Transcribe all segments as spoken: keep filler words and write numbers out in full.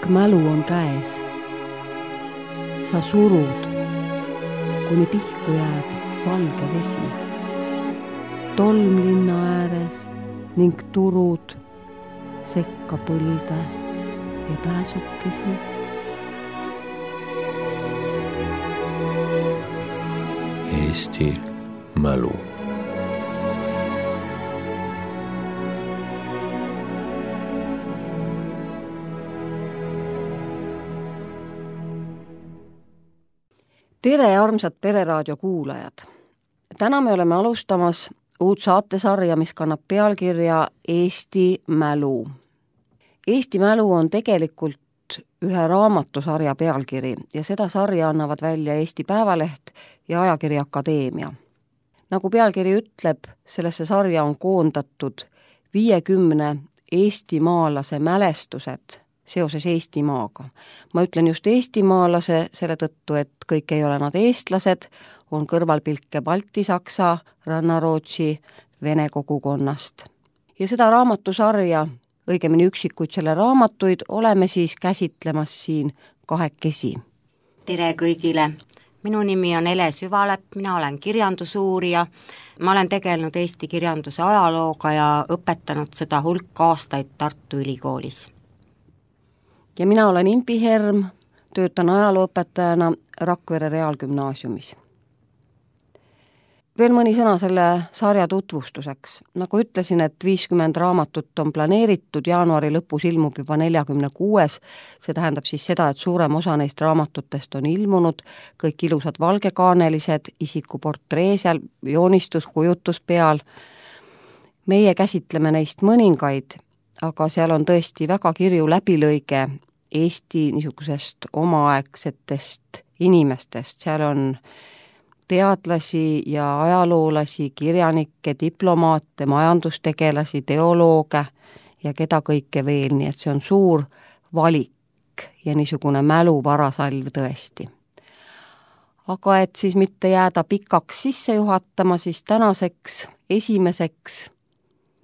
mälu on käes. Sa surud, kuni pihku jääb valge vesi. Tolm linna ääres ning turud sekka põlde ja pääsukesi. Eesti mälu. Tere, armsad Pereraadio kuulajad! Täna me oleme alustamas uut saatesarja, mis kannab pealkirja Eesti mälu. Eesti mälu on tegelikult ühe raamatusarja pealkiri ja seda sarja annavad välja Eesti Päevaleht ja Ajakiri Akadeemia. Nagu pealkiri ütleb, sellesse sarja on koondatud viiekümne eestimaalase mälestused seoses Eestimaaga. Ma ütlen just eestimaalase selle tõttu, et kõik ei ole nad eestlased, on kõrvalpilke Balti-Saksa, Rannarootsi, Vene kogukonnast. Ja seda raamatusarja, õigemini üksikuid selle raamatuid, oleme siis käsitlemas siin kahekesi. Tere kõigile! Minu nimi on Ele Süvalepp, mina olen kirjandusuurija. Ma olen tegelenud Eesti kirjanduse ajalooga ja õpetanud seda hulk aastaid Tartu Ülikoolis. Ja mina olen Impi Herm, töötan ajalooõpetajana Rakvere Reaalgümnaasiumis. Veel mõni sõna selle sarja tutvustuseks. Nagu ütlesin, et viiskümmend raamatut on planeeritud, jaanuari lõpus ilmub juba nelikümmend kuus. See tähendab siis seda, et suurem osa neist raamatutest on ilmunud, kõik ilusad valgekaanelised, isikuportree seal, joonistus, kujutus peal. Meie käsitleme neist mõningaid, aga seal on tõesti väga kirju läbilõige Eesti niisugusest omaaegsetest inimestest. Seal on teadlasi ja ajaloolasi, kirjanikke, diplomaate, majandustegelasi, teolooge ja keda kõike veel, nii et see on suur valik ja niisugune mäluvarasalv tõesti. Aga et siis mitte jääda pikaks sisse juhatama, siis tänaseks esimeseks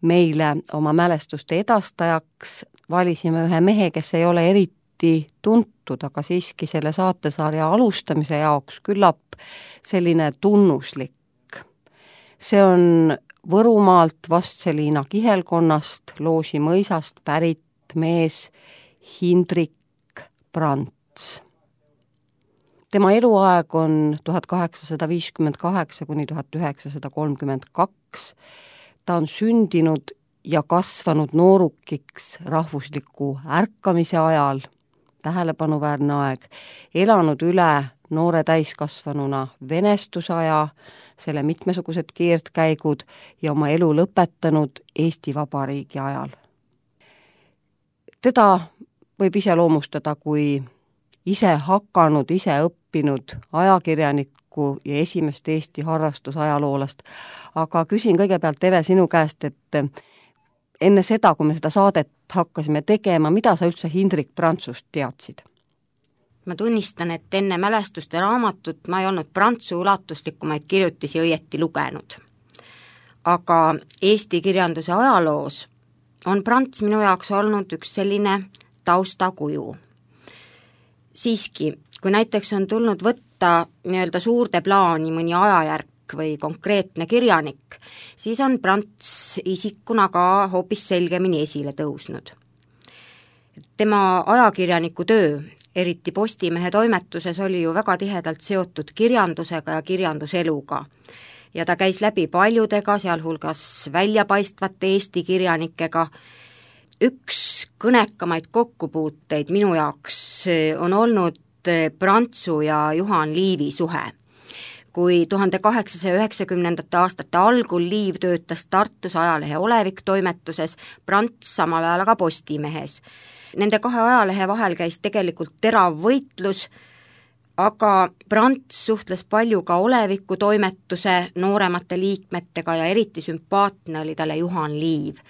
meile oma mälestuste edastajaks valisime ühe mehe, kes ei ole eriti tuntud, aga siiski selle saatesarja alustamise jaoks küllap selline tunnuslik. See on Võrumaalt Vastseliina kihelkonnast, Loosi mõisast pärit mees Hindrik Prants. Tema eluaeg on tuhat kaheksasada viiskümmend kaheksa kuni tuhat üheksasada kolmkümmend kaks. Ta on sündinud ja kasvanud noorukiks rahvusliku ärkamise ajal, tähelepanuväärne aeg, elanud üle noore täiskasvanuna venestusaja, selle mitmesugused keerdkäigud ja oma elu lõpetanud Eesti Vabariigi ajal. Teda võib iseloomustada kui ise hakanud, ise õppinud ajakirjanikku ja esimest Eesti harrastusajaloolast. Aga küsin kõigepealt, Tere, sinu käest, et enne seda, kui me seda saadet hakkasime tegema, mida sa üldse Hindrik Prantsust teadsid? Ma tunnistan, et enne mälestuste raamatut ma ei olnud Prantsu ulatuslikumaid kirjutisi õieti lugenud. Aga Eesti kirjanduse ajaloos on Prants minu jaoks olnud üks selline taustakuju. Siiski, kui näiteks on tulnud võtta nii-öelda suurde plaani mõni ajajärk või konkreetne kirjanik, siis on Prants isikuna ka hoopis selgemini esile tõusnud. Tema ajakirjaniku töö, eriti Postimehe toimetuses, oli ju väga tihedalt seotud kirjandusega ja kirjanduseluga. Ja ta käis läbi paljudega, sealhulgas väljapaistvate Eesti kirjanikega. Üks kõnekamaid kokkupuuteid minu jaoks on olnud Prantsu ja Juhan Liivi suhe. Kui tuhande kaheksasaja üheksakümnendate aastate algul Liiv töötas Tartus ajalehe Olevik toimetuses, Prants samal ajal aga Postimehes. Nende kahe ajalehe vahel käis tegelikult terav võitlus, aga Prants suhtles palju ka Oleviku toimetuse nooremate liikmetega ja eriti sümpaatne oli talle Juhan Liiv.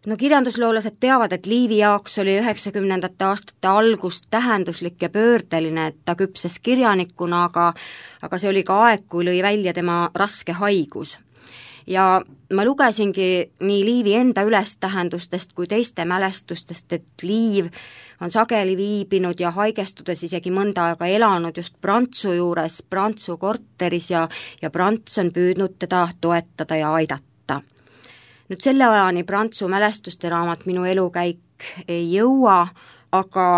No kirjandusloolased teavad, et Liivi jaoks oli üheksakümnendate aastate algus tähenduslik ja pöördeline, et ta küpses kirjanikuna, aga, aga see oli ka aeg, kui lõi välja tema raske haigus. ja ma lugesingi nii Liivi enda ülestähendustest kui teiste mälestustest, et Liiv on sageli viibinud ja haigestudes isegi mõnda aega elanud just Prantsu juures, Prantsu korteris ja, ja Prants on püüdnud teda toetada ja aidata. Nüüd selle ajani Prantsu mälestuste raamat Minu elukäik ei jõua, aga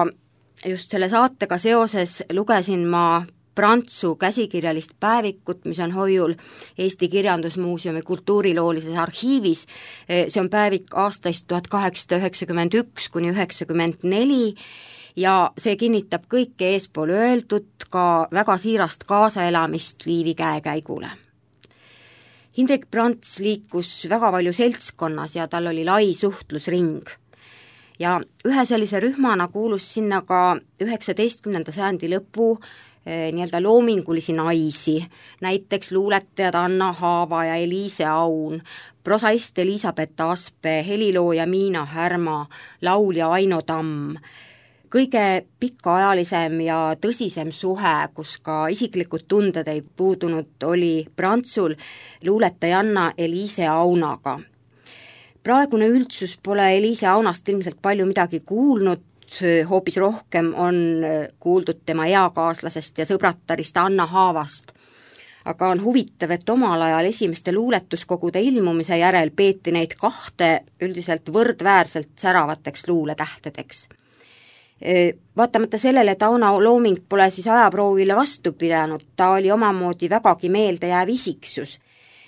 just selle saatega seoses lugesin ma Prantsu käsikirjalist päevikut, mis on hoiul Eesti Kirjandusmuuseumi kultuuriloolises arhiivis. See on päevik aastaist tuhat kaheksasada üheksakümmend üks kuni üheksakümmend neli ja see kinnitab kõike eespool öeldud, ka väga siirast kaasaelamist Liivi käekäigule. Hindrek Prants liikus väga palju seltskonnas ja tal oli lai suhtlusring. Ja ühe sellise rühmana kuulus sinna ka üheksateistkümnenda sajandi lõpu nii-öelda loomingulisi naisi, näiteks luuletajad Anna Haava ja Eliise Aun, prosaist Elisabeth Aspe, helilooja Miina Härma, laulja Aino Tamm. Kõige pikaajalisem ja tõsisem suhe, kus ka isiklikud tunded ei puudunud, oli Prantsul luuletajanna Eliise Aunaga. Praegune üldsus pole Eliise Aunast ilmselt palju midagi kuulnud, hoopis rohkem on kuuldud tema eakaaslasest ja sõbrattarist Anna Haavast. Aga on huvitav, et omal ajal esimeste luuletuskogude ilmumise järel peeti neid kahte üldiselt võrdväärselt säravateks luuletähtedeks. Vaatamata sellele, et Auna looming pole siis ajaproovile vastu pidanud, ta oli omamoodi vägagi meeldejääv isiksus.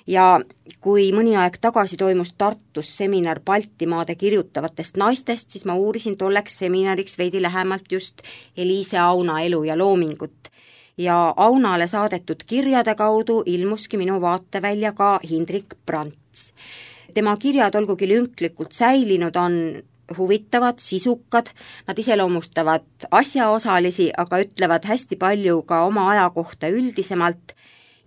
Ja kui mõni aeg tagasi toimus Tartus seminar Baltimaade kirjutavatest naistest, siis ma uurisin tolleks seminariks veidi lähemalt just Eliise Auna elu ja loomingut. Ja Aunale saadetud kirjade kaudu ilmuski minu vaatevälja ka Hindrek Prants. Tema kirjad olgugi lünklikult säilinud on huvitavad, sisukad, nad iseloomustavad asjaosalisi, aga ütlevad hästi palju ka oma aja kohta üldisemalt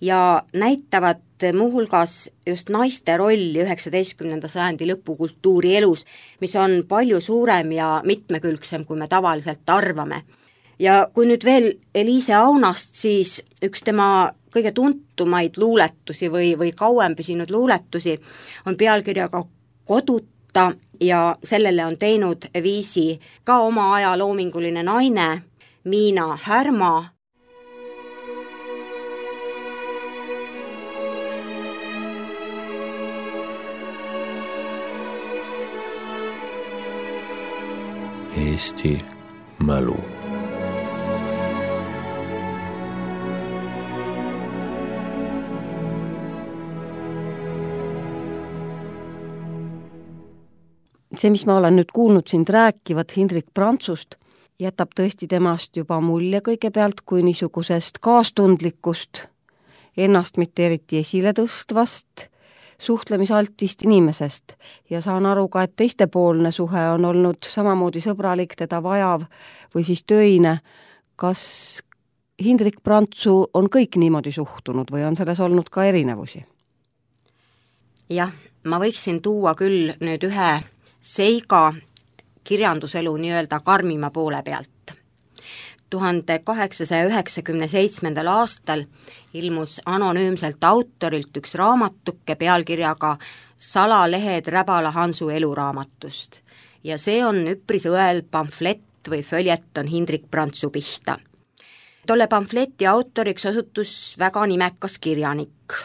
ja näitavad muuhulgas just naiste rolli üheksateistkümnenda sajandi lõpu kultuurielus, mis on palju suurem ja mitmekülgsem, kui me tavaliselt arvame. Ja kui nüüd veel Eliise Aunast, siis üks tema kõige tuntumaid luuletusi või, või kauem püsinud luuletusi on pealkirjaga Koduta ja sellele on teinud viisi ka oma aja loominguline naine Miina Härma. Eesti mälu. See, mis ma olen nüüd kuulnud sind rääkivat Hindrek Prantsust, jätab tõesti temast juba mulje kõigepealt kui niisugusest kaastundlikust, ennast mitte eriti esile tõstvast, suhtlemisaltist inimesest ja saan aru ka, et teistepoolne suhe on olnud samamoodi sõbralik, teda vajav või siis töine. Kas Hindrek Prantsu on kõik niimoodi suhtunud või on selles olnud ka erinevusi? Jah, ma võiksin tuua küll nüüd ühe seiga kirjanduselu nii-öelda karmima poole pealt. tuhande kaheksasaja üheksakümne seitsmendal aastal ilmus anonüümselt autorilt üks raamatuke pealkirjaga Salalehed Räbala Hansu eluraamatust ja see on üpris õel pamflett või följeton Hindrek Prantsu pihta. Tolle pamfleti autoriks osutus väga nimekas kirjanik,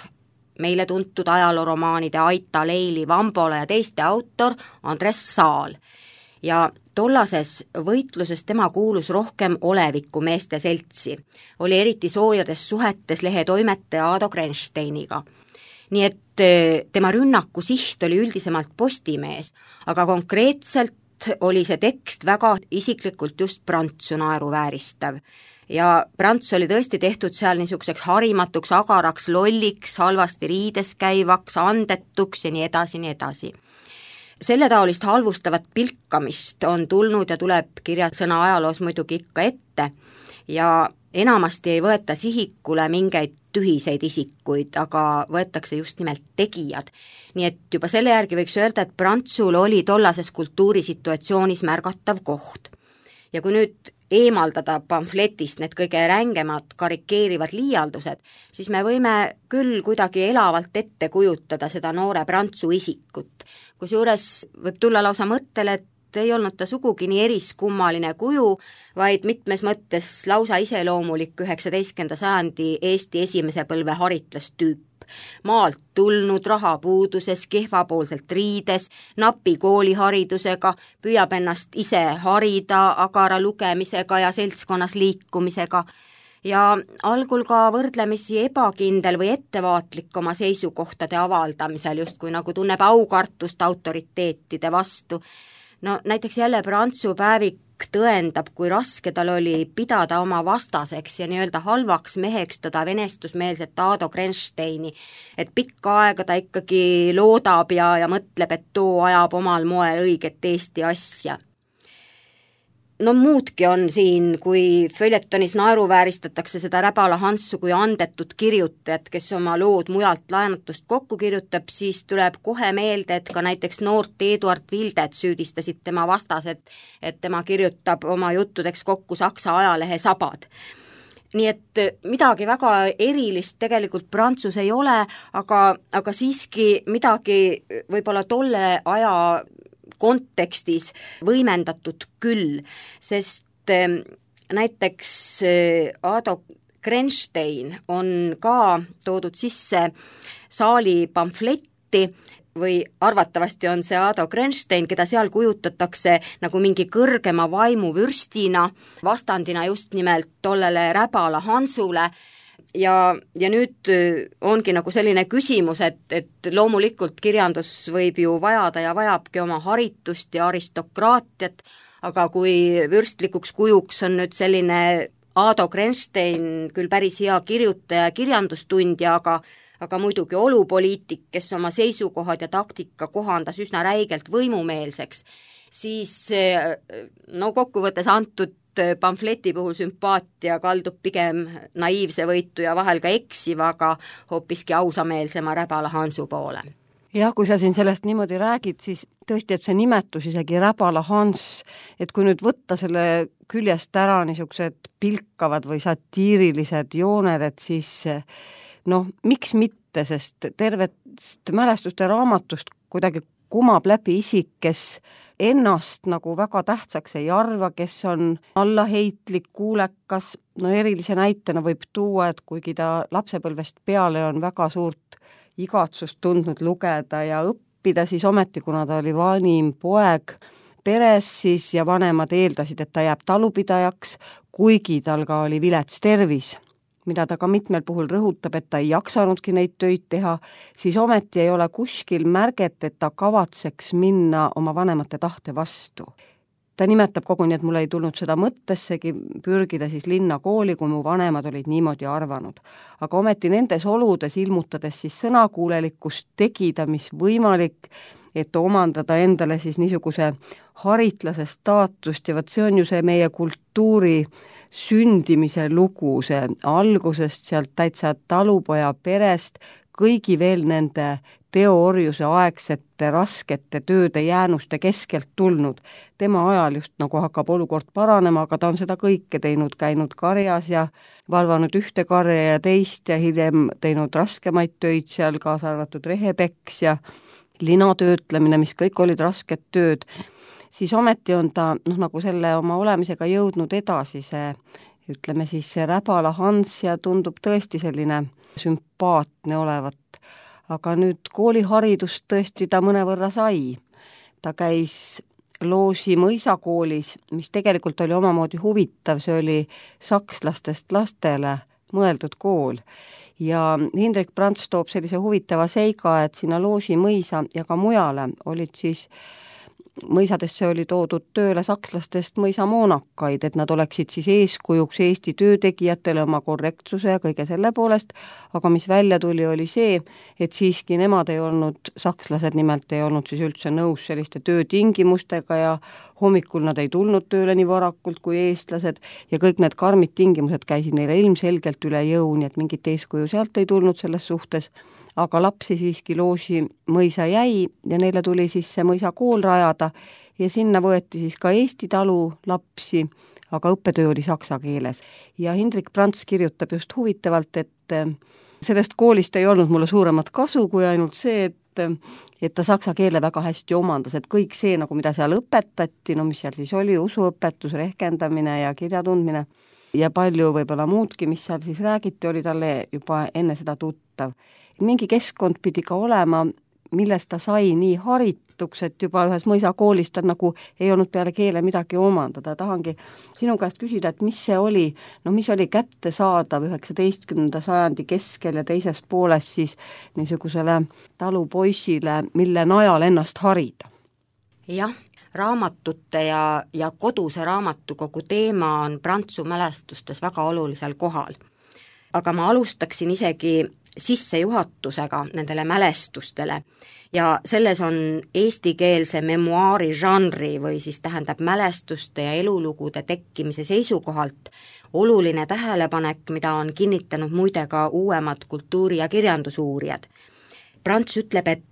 meile tuntud ajalooromaanide Aita, Leili, Vambola ja teiste autor Andres Saal ja tollases võitluses tema kuulus rohkem oleviku meeste seltsi, oli eriti soojades suhetes lehe toimetaja Aado Grensteiniga. Nii et tema rünnaku siht oli üldisemalt Postimees, aga konkreetselt oli see tekst väga isiklikult just Prantsu naeruvääristav. Ja Prants oli tõesti tehtud seal niisuguseks harimatuks, agaraks, lolliks, halvasti riides käivaks, andetuks ja nii edasi, nii edasi. Selle taolist halvustavat pilkamist on tulnud ja tuleb kirjasõna ajaloos muidugi ikka ette ja enamasti ei võeta sihikule mingeid tühiseid isikuid, aga võetakse just nimelt tegijad. Nii et juba selle järgi võiks öelda, et Prantsul oli tollases kultuurisituatsioonis märgatav koht. ja kui nüüd eemaldada pamfletist need kõige rängemad karikeerivad liialdused, siis me võime küll kuidagi elavalt ette kujutada seda noore prantsu isikut. Kusjuures võib tulla lausa mõttele, et ei olnud ta sugugi nii eriskummaline kuju, vaid mitmes mõttes lausa iseloomulik üheksateistkümnenda sajandi Eesti esimese põlve haritlastüüp. Maalt tulnud, rahapuuduses, kehvapoolselt riides, napi kooliharidusega, püüab ennast ise harida agara lugemisega ja seltskonnas liikumisega ja algul ka võrdlemisi ebakindel või ettevaatlik oma seisukohtade avaldamisel, justkui nagu tunneb aukartust autoriteetide vastu. No näiteks jälle Prantsu päevik tõendab, kui raske tal oli pidada oma vastaseks ja nii-öelda halvaks meheks teda venestusmeelset Ado Grensteini, et pikka aega ta ikkagi loodab ja, ja mõtleb, et too ajab omal moel õiget Eesti asja. No muudki on siin, kui följetonis naeruvääristatakse seda Räbala Hansu kui andetut kirjutajat, kes oma lood mujalt laenatust kokku kirjutab, siis tuleb kohe meelde, et ka näiteks noort Eduard Wildet süüdistasid tema vastased, et tema kirjutab oma juttudeks kokku Saksa ajalehe Sabad. Nii et midagi väga erilist tegelikult Prantsus ei ole, aga, aga siiski midagi võib-olla tolle aja kontekstis võimendatud küll, sest näiteks Ado Grenstein on ka toodud sisse saali pamfletti või arvatavasti on see Ado Grenstein, keda seal kujutatakse nagu mingi kõrgema vaimuvürstina, vastandina just nimelt tollele Räbala Hansule. Ja, ja nüüd ongi nagu selline küsimus, et, et loomulikult kirjandus võib ju vajada ja vajabki oma haritust ja aristokraatiat, aga kui vürstlikuks kujuks on nüüd selline Ado Grenstein, küll päris hea kirjutaja ja kirjandustundja, aga, aga muidugi olupoliitik, kes oma seisukohad ja taktika kohandas üsna räigelt võimumeelseks, siis no kokkuvõttes antud pamfleti puhul sümpaatia kaldub pigem naiivse võitu ja vahel ka eksiva, aga hoopiski ausameelsema Räbala Hansu poole. Jah, kui sa siin sellest niimoodi räägid, siis tõesti, et see nimetus isegi Räbala Hans, et kui nüüd võtta selle küljest ära niisugused pilkavad või satiirilised jooned, et siis noh, miks mitte, sest tervest mälestuste raamatust kuidagi kumab läbi isik, kes ennast nagu väga tähtsaks ei arva, kes on allaheitlik, kuulekas, no erilise näitena võib tuua, et kuigi ta lapsepõlvest peale on väga suurt igatsust tundnud lugeda ja õppida, siis ometi, kuna ta oli vanim poeg peres, siis ja vanemad eeldasid, et ta jääb talupidajaks, kuigi tal ka oli vilets tervis, mida ta ka mitmel puhul rõhutab, et ta ei jaksanudki neid töid teha, siis ometi ei ole kuskil märget, et ta kavatseks minna oma vanemate tahte vastu. Ta nimetab koguni, et mul ei tulnud seda mõttessegi pürgida siis linna kooli, kui mu vanemad olid niimoodi arvanud. Aga ometi nendes oludes ilmutades siis sõnakuulelikkust tegida, mis võimalik, et omandada endale siis niisuguse haritlase staatust ja võt see on ju see meie kultuuri sündimise lugu, see algusest sealt täitsa talupoja perest, kõigi veel nende teoorjuse aegsete raskete tööde jäänuste keskelt tulnud. Tema ajal just nagu hakkab olukord paranema, aga ta on seda kõike teinud, käinud karjas ja valvanud ühte karja ja teist ja hiljem teinud raskemaid töid seal, kaasa arvatud rehepeks ja linatöötlemine, mis kõik olid rasked tööd, siis ometi on ta noh, nagu selle oma olemisega jõudnud edasi see, ütleme siis see Räbala Hans ja tundub tõesti selline sümpaatne olevat. Aga nüüd kooliharidust tõesti ta mõnevõrra sai. Ta käis Loosi mõisakoolis, mis tegelikult oli omamoodi huvitav, see oli sakslastest lastele mõeldud kool. Ja Hindrek Prants toob sellise huvitava seiga, et sinna Loosi mõisa ja ka mujale olid siis mõisadesse oli toodud tööle sakslastest mõisamoonakaid, et nad oleksid siis eeskujuks Eesti töötegijatele oma korrektsuse ja kõige selle poolest, aga mis välja tuli, oli see, et siiski nemad ei olnud, sakslased nimelt ei olnud siis üldse nõus selliste töötingimustega ja hommikul nad ei tulnud tööle nii varakult kui eestlased ja kõik need karmid tingimused käisid neile ilmselgelt üle jõu, nii et mingit eeskuju sealt ei tulnud selles suhtes, aga lapsi siiski Loosi mõisa jäi ja neile tuli siis see mõisa kool rajada ja sinna võeti siis ka Eesti talu lapsi, aga õppetöö oli saksa keeles. Ja Hindrek Prants kirjutab just huvitavalt, et sellest koolist ei olnud mulle suuremat kasu kui ainult see, et et ta saksa keele väga hästi omandas, et kõik see, nagu mida seal õpetati, no mis seal siis oli, usuõpetus, rehkendamine ja kirjatundmine ja palju võib-olla muudki, mis seal siis räägiti, oli talle juba enne seda tuttav. Mingi keskkond pidi ka olema, millest ta sai nii harituks, et juba ühes mõisakoolis ta nagu ei olnud peale keele midagi omandada. Tahangi sinu käest küsida, et mis see oli, no mis oli kättesaadav üheksateistkümnenda sajandi keskel ja teises pooles siis niisugusele talupoisile, mille najal ennast harida? Jah, raamatute ja, ja koduse raamatukogu teema on Prantsu mälestustes väga olulisel kohal. Aga ma alustaksin isegi sissejuhatusega nendele mälestustele ja selles on eestikeelse memuaari žanri või siis tähendab mälestuste ja elulugude tekkimise seisukohalt oluline tähelepanek, mida on kinnitanud muide ka uuemad kultuuri- ja kirjandusuurijad. Prants ütleb, et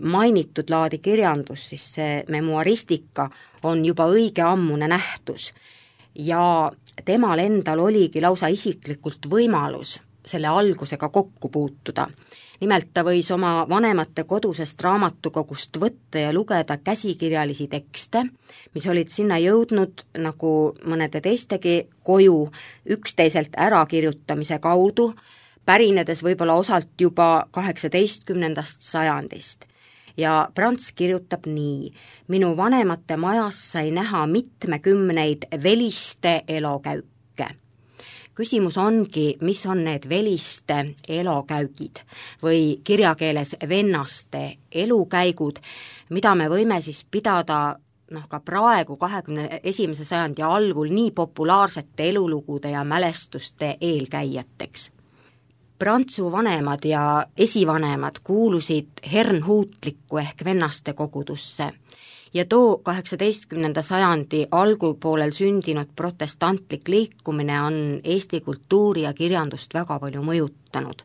mainitud laadi kirjandus, siis see memuaristika on juba õige ammune nähtus ja temal endal oligi lausa isiklikult võimalus selle algusega kokku puutuda. Nimelt ta võis oma vanemate kodusest raamatukogust võtta ja lugeda käsikirjalisi tekste, mis olid sinna jõudnud nagu mõnede teistegi koju üksteiselt ärakirjutamise kaudu, pärinedes võib-olla osalt juba kaheksateistkümnendast sajandist. Ja Prants kirjutab nii: minu vanemate majas sai näha mitmekümneid veliste elokäüke. Küsimus ongi, mis on need veliste elokäigid või kirjakeeles vennaste elukäigud, mida me võime siis pidada noh, ka praegu kahekümne esimese sajandi algul nii populaarsete elulugude ja mälestuste eelkäijateks. Prantsu vanemad ja esivanemad kuulusid hernhuutlikku ehk vennaste kogudusse ja too kaheksateistkümnenda sajandi algupoolel sündinud protestantlik liikumine on Eesti kultuuri ja kirjandust väga palju mõjutanud.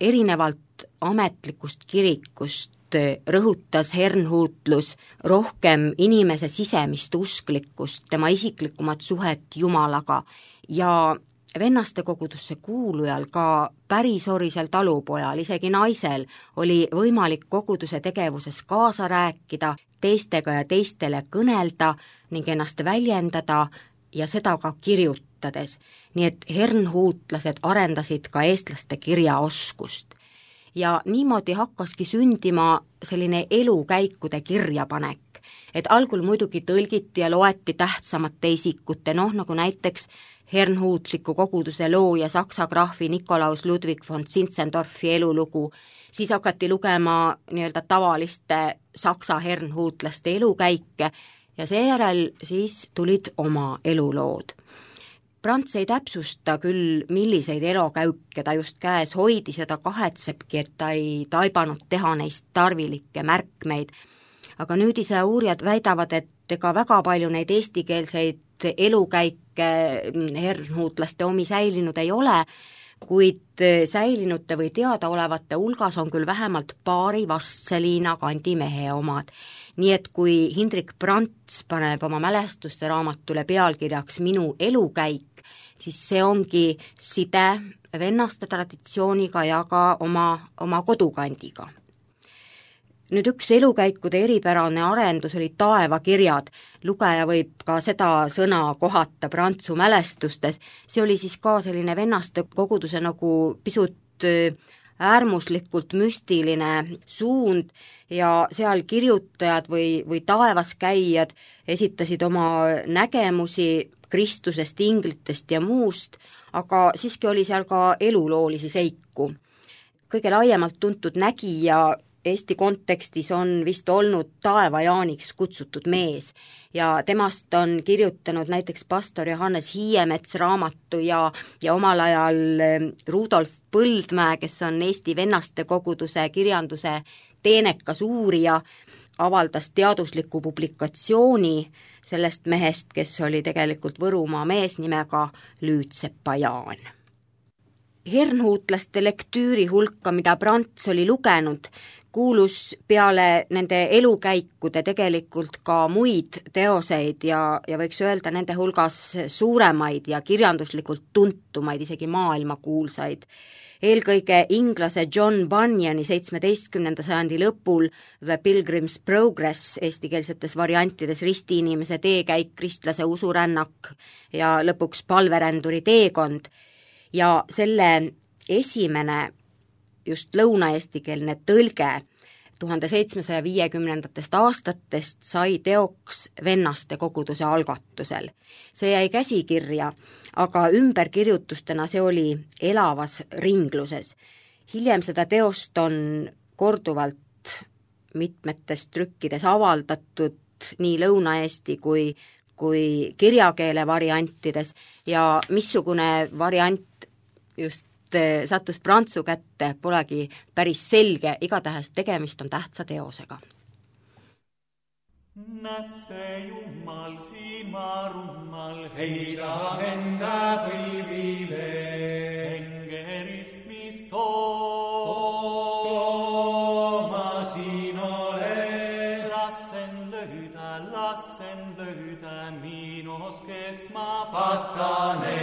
Erinevalt ametlikust kirikust rõhutas hernhuutlus rohkem inimese sisemist usklikkust, tema isiklikumat suhet Jumalaga ja vennaste kogudusse kuulujal, ka pärisorisel talupojal, isegi naisel, oli võimalik koguduse tegevuses kaasa rääkida, teistega ja teistele kõnelda ning ennast väljendada ja seda ka kirjutades. Nii et hernhuutlased arendasid ka eestlaste kirjaoskust. Ja niimoodi hakkaski sündima selline elukäikude kirjapanek, et algul muidugi tõlgiti ja loeti tähtsamate isikute, noh nagu näiteks hernhuutliku koguduse looja saksa graafi Nikolaus Ludwig von Zinzendorfi elulugu, siis hakati lugema nii-öelda tavaliste saksa hernhuutlaste elukäike ja seejärel siis tulid oma elulood. Prants ei täpsusta küll, milliseid elokäuke ta just käes hoidis ja ta kahetsebki, et ta ei taibanud teha neist tarvilikke märkmeid, aga nüüdise uurijad väidavad, et ega väga palju neid eestikeelseid elukäike hernhuutlaste omi säilinud ei ole, kuid säilinute või teadaolevate hulgas on küll vähemalt paari Vastseliina kandimehe omad. Nii et kui Hindrek Prants paneb oma mälestuste raamatule pealkirjaks Minu elukäik, siis see ongi side vennaste traditsiooniga ja ka oma, oma kodukandiga. Nüüd üks elukäikude eripärane arendus oli taevakirjad. Lugeja võib ka seda sõna kohata Prantsu mälestustes. See oli siis ka selline vennaste koguduse nagu pisut äärmuslikult müstiline suund ja seal kirjutajad või, või taevaskäijad esitasid oma nägemusi Kristusest, inglitest ja muust, aga siiski oli seal ka eluloolisi seiku. Kõige laiemalt tuntud nägija Eesti kontekstis on vist olnud taevajaaniks kutsutud mees ja temast on kirjutanud näiteks pastor Johannes Hiiemets raamatu ja, ja omal ajal Rudolf Põldmäe, kes on Eesti vennaste koguduse kirjanduse teenekas uurija, avaldas teadusliku publikatsiooni sellest mehest, kes oli tegelikult Võrumaa mees nimega Lüütsepa Jaan. Hernhuutlaste lektüüri hulka, mida Prants oli lugenud, kuulus peale nende elukäikude tegelikult ka muid teoseid ja, ja võiks öelda nende hulgas suuremaid ja kirjanduslikult tuntumaid, isegi maailmakuulsaid. Eelkõige inglase John Bunyani seitsmeteistkümnenda sajandi lõpul The Pilgrim's Progress, eestikeelsetes variantides ristiinimese teekäik, kristlase usurännak ja lõpuks palveränduri teekond. Ja selle esimene just lõunaeestikeelne tõlge tuhande seitsmesaja viiekümnendatest aastatest sai teoks vennaste koguduse algatusel. See jäi käsikirja, aga ümberkirjutustena see oli elavas ringluses. Hiljem seda teost on korduvalt mitmetes trükkides avaldatud nii Lõuna-Eesti kui, kui kirjakeele variantides ja missugune variant just sattus prantsu kätte, polegi päris selge, igatahes tegemist on tähtsa teosega. Näeb see Jumal silmarummal, heida enda põlvile, hengerist, mis tooma siin ole. Lassen löydä, lassen löydä, miinos kes ma patane,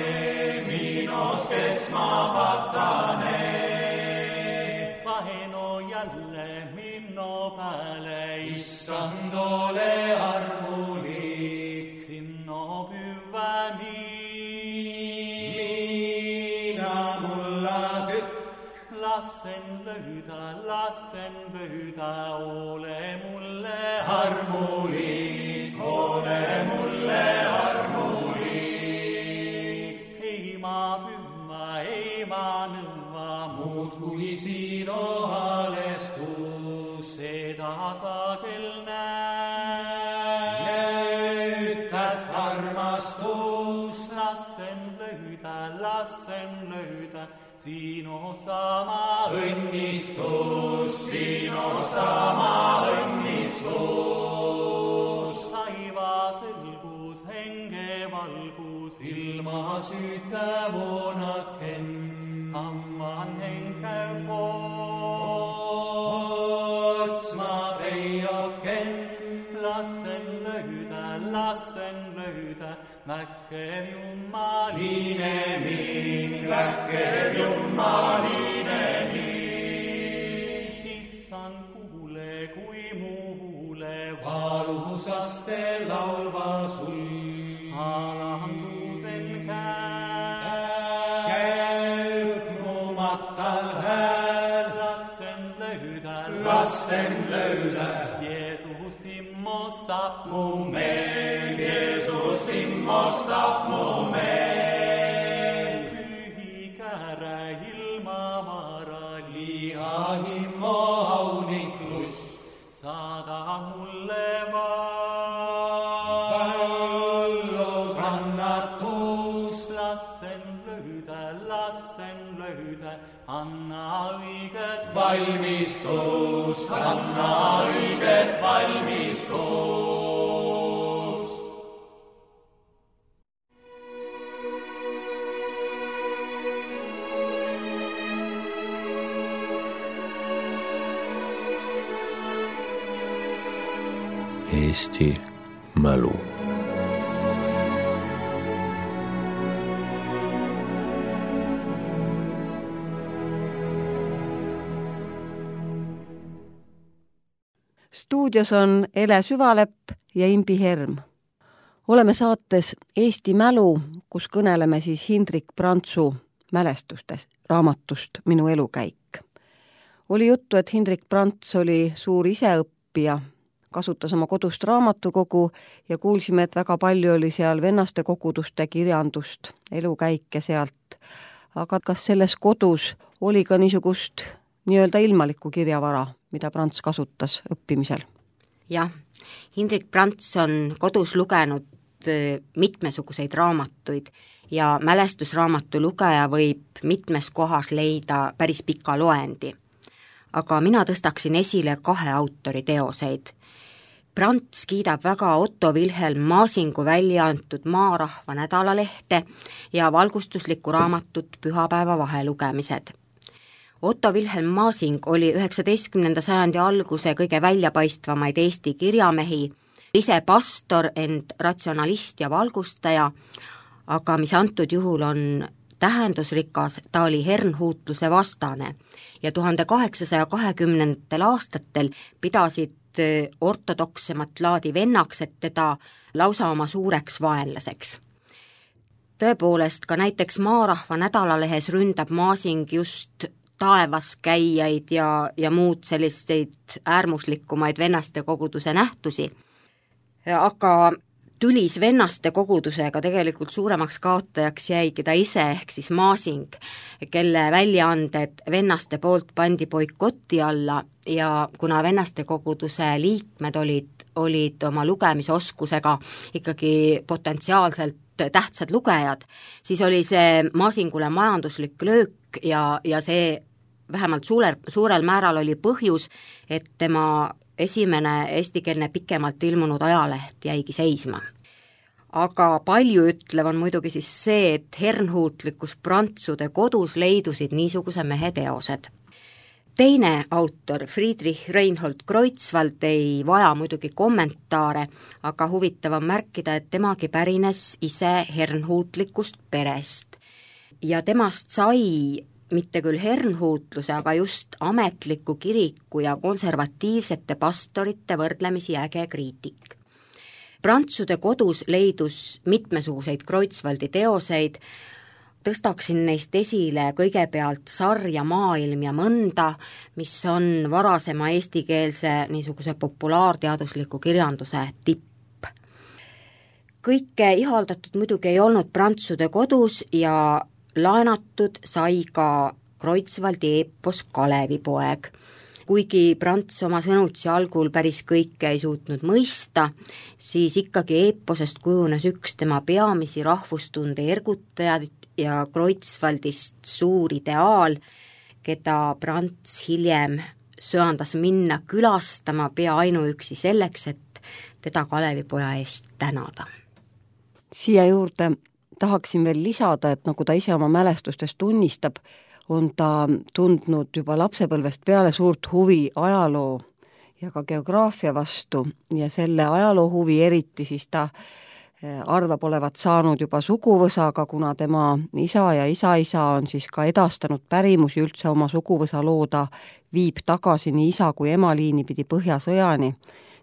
miinos kes ma patane. Kaheno jälle minno pääle, issand ole armulik, sinno püvä mina mulla tükk. Lassen löydä, lassen löydä, ole mulle armulik, ole mulle armulik. Ei ma püvä, ei ma nõva, muud kui sinu halestus, seda sagel näütad armastus. Lassen löydä, lassen löydä, sinu sama õnnistus, sinu sama õnnistus. Taiva selgus, henge valgus, ilma süütä voonaken, amman henkäy otsma peioken. Lassen löydä, lassen löydä, väkkev jummaline mind, väkkev jummaline mind. Issand kuule, kui muule, valusaste laulva sul, alandusen käib numatal hääl. Lassen löydä, lassen löydä, Jeesus immostab mu meel, Jeesus immostab mu meel. Pühi käärä ilma vara, liha himmo auniklust, saada mulle vallu kannatus. Lassen löydä, lassen löydä, anna õiget valmistust, anna õiget valmistust. Eesti mälu. Stuudios on Ele Süvalepp ja Imbi Herm. Oleme saates Eesti mälu, kus kõneleme siis Hindrik Prantsu mälestustest, raamatust Minu elukäik. Oli juttu, et Hindrik Prants oli suur iseõppija, kasutas oma kodust raamatukogu ja kuulsime, et väga palju oli seal vennaste koguduste kirjandust, elukäike sealt. Aga kas selles kodus oli ka niisugust nii-öelda ilmalikku kirjavara, mida Prants kasutas õppimisel? Jah, Hindrik Prants on kodus lugenud mitmesuguseid raamatuid ja mälestusraamatu lugeja võib mitmes kohas leida päris pika loendi. Aga mina tõstaksin esile kahe autori teoseid. Prants kiidab väga Otto Wilhelm Maasingu välja antud Maarahva nädalalehte ja valgustuslikku raamatut Pühapäeva vahelugemised. Otto Wilhelm Masing oli üheksateistkümnenda sajandi alguse kõige väljapaistvamaid Eesti kirjamehi, ise pastor, ent ratsionalist ja valgustaja, aga mis antud juhul on tähendusrikas, ta oli hernhuutluse vastane ja tuhande kaheksasaja kahekümnendatel aastatel pidasid ortodoksemat laadi vennaksed teda lausa oma suureks vaenlaseks. Tõepoolest, ka näiteks Maarahva nädalalehes ründab Masing just taevaskäijaid ja, ja muud selliseid äärmuslikumaid vennaste koguduse nähtusi, aga tülis vennaste kogudusega tegelikult suuremaks kaotajaks jäigi ta ise ehk siis Masing, kelle väljaanded vennaste poolt pandi boikoti alla ja kuna vennaste koguduse liikmed olid, olid oma lugemisoskusega ikkagi potentsiaalselt tähtsad lugejad, siis oli see Masingule majanduslik löök ja, ja see vähemalt suurel, suurel määral oli põhjus, et tema esimene eestikeelne pikemalt ilmunud ajaleht jäigi seisma. Aga palju ütlev on muidugi siis see, et hernhuutlikus prantsude kodus leidusid niisuguse mehe teosed. Teine autor, Friedrich Reinhold Kreutzwald, ei vaja muidugi kommentaare, aga huvitav on märkida, et temagi pärines ise hernhuutlikust perest. Ja temast sai mitte küll hernhuutluse, aga just ametliku kiriku ja konservatiivsete pastorite võrdlemisi äge kriitik. Prantsude kodus leidus mitmesuguseid Kreutzwaldi teoseid, tõstaksin neist esile kõigepealt Sarja maailm ja mõnda, mis on varasema eestikeelse niisuguse populaarteadusliku kirjanduse tipp. Kõike ihaldatud muidugi ei olnud Prantsude kodus ja laenatud sai ka Kreutzwaldi eepos Kalevipoeg. Kuigi Prants oma sõnutsi algul päris kõike ei suutnud mõista, siis ikkagi eeposest kujunes üks tema peamisi rahvustunde ergutajad ja Kreutzwaldist suur ideaal, keda Prants hiljem söandas minna külastama pea ainuüksi selleks, et teda Kalevipoja eest tänada. Siia juurde tahaksin veel lisada, et nagu ta ise oma mälestustes tunnistab, on ta tundnud juba lapsepõlvest peale suurt huvi ajaloo ja ka geograafia vastu ja selle ajaloo huvi eriti siis ta arvab olevat saanud juba suguvõsaga, kuna tema isa ja isa-isa on siis ka edastanud pärimusi üldse oma suguvõsa looda, viib tagasi nii isa kui ema liini pidi Põhjasõjani,